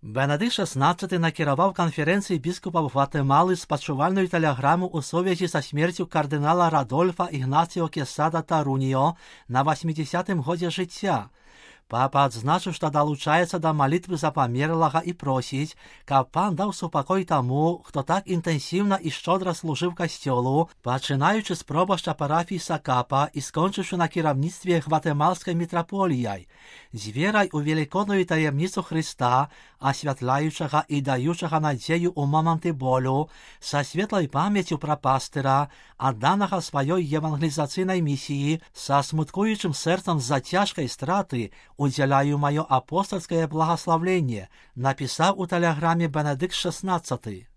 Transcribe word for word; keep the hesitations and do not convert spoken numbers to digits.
Бенедикт шестнадцатый накіраваў канферэнцыі біскупаў Гватэмалы спачувальную тэлеграму ў сувязі са смерцю кардынала Радольфа Ігнацыо Кесада Таруніо на восьмідзесятым годзе жыцця. Папа адзначыў, што далучаецца да малітвы за памерлага і просіць, каб пан даў супакой таму, хто так інтэнсіўна і шчодра служыў касцёлу, пачынаючы з пробашча парафіі Сакапа і скончыўшы на кіраўніцтве гватэмалскай мітраполіяй, з верай у велікодную таямніцу Хрыста, асвятляючага і даючага надзею ў моманты болю, са светлай памяццю пра пастыра, адданага сваёй евангелізацыйнай місіі, са смуткуючым сэрцам з-за цяжкай страты, удзяляю маё апостольскае благаславленне, напісаў у тэлеграме Бенедикт шестнадцатый.